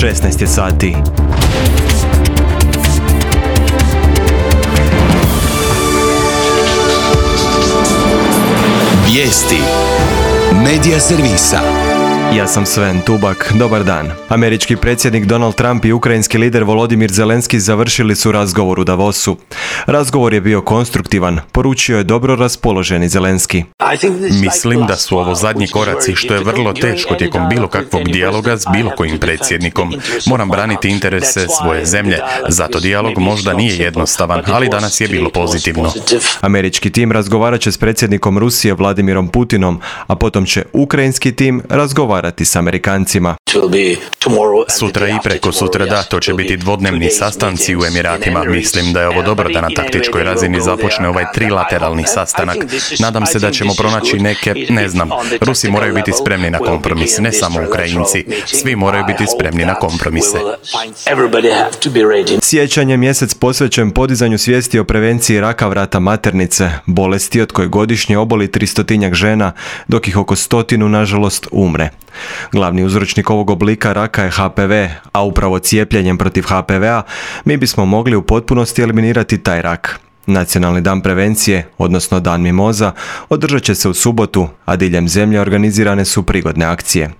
16 je sati. Vijesti Medija servisa. Ja sam Sven Tubak, dobar dan. Američki predsjednik Donald Trump i ukrajinski lider Volodimir Zelenski završili su razgovor u Davosu. Razgovor je bio konstruktivan, poručio je dobro raspoloženi Zelenski. Mislim da su ovo zadnji koraci, što je vrlo teško tijekom bilo kakvog dijaloga s bilo kojim predsjednikom. Moram braniti interese svoje zemlje, zato dijalog možda nije jednostavan, ali danas je bilo pozitivno. Američki tim razgovarat će s predsjednikom Rusije Vladimirom Putinom, a potom će ukrajinski tim razgovarati s Amerikancima. Sutra i preko sutra da, to će biti dvodnevni sastanci u Emiratima. Mislim da je ovo dobro da na taktičkoj razini započne ovaj trilateralni sastanak. Nadam se da ćemo pronaći neke, Rusi moraju biti spremni na kompromis, ne samo Ukrajinci. Svi moraju biti spremni na kompromise. Siječanj je mjesec posvećen podizanju svijesti o prevenciji raka vrata maternice, bolesti od koje godišnje oboli 300 žena, dok ih oko 100 nažalost umre. Glavni uzročnik ovog oblika raka je HPV, a upravo cijepljenjem protiv HPV-a mi bismo mogli u potpunosti eliminirati taj rak. Nacionalni dan prevencije, odnosno Dan mimoza, održat će se u subotu, a diljem zemlje organizirane su prigodne akcije.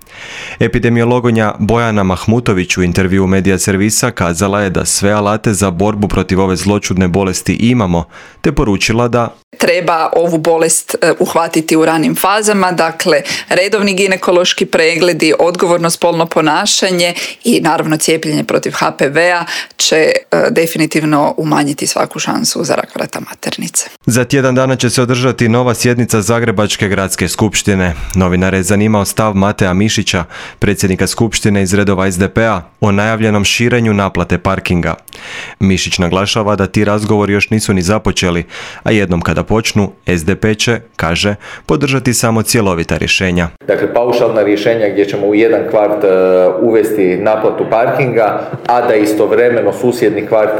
Epidemiologinja Bojana Mahmutović u intervjuu Medija servisa kazala je da sve alate za borbu protiv ove zloćudne bolesti imamo, te poručila da treba ovu bolest uhvatiti u ranim fazama, dakle redovni ginekološki pregledi, odgovorno spolno ponašanje i naravno cijepljenje protiv HPV-a će definitivno umanjiti svaku šansu za rak vrata maternice. Za tjedan dana će se održati nova sjednica Zagrebačke gradske skupštine. Novinare je zanimao stav Matea Mišića, predsjednika skupštine iz redova SDP-a, o najavljenom širenju naplate parkinga. Mišić naglašava da ti razgovori još nisu ni započeli, a jednom kada počnu, SDP će, kaže, podržati samo cjelovita rješenja. Dakle, paušalna rješenja gdje ćemo u jedan kvart uvesti naplatu parkinga, a da istovremeno susjedni kvart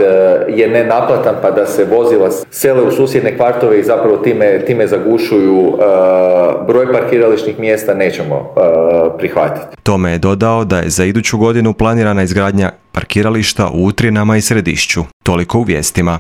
je nenaplatan, pa da se vozila sele u susjedne kvartove i zapravo time zagušuju broj parkirališnih mjesta, nećemo prihvatiti. Tome je dodao da je za iduću godinu planirana izgradnja parkirališta u Utrinama i Središću. Toliko u vijestima.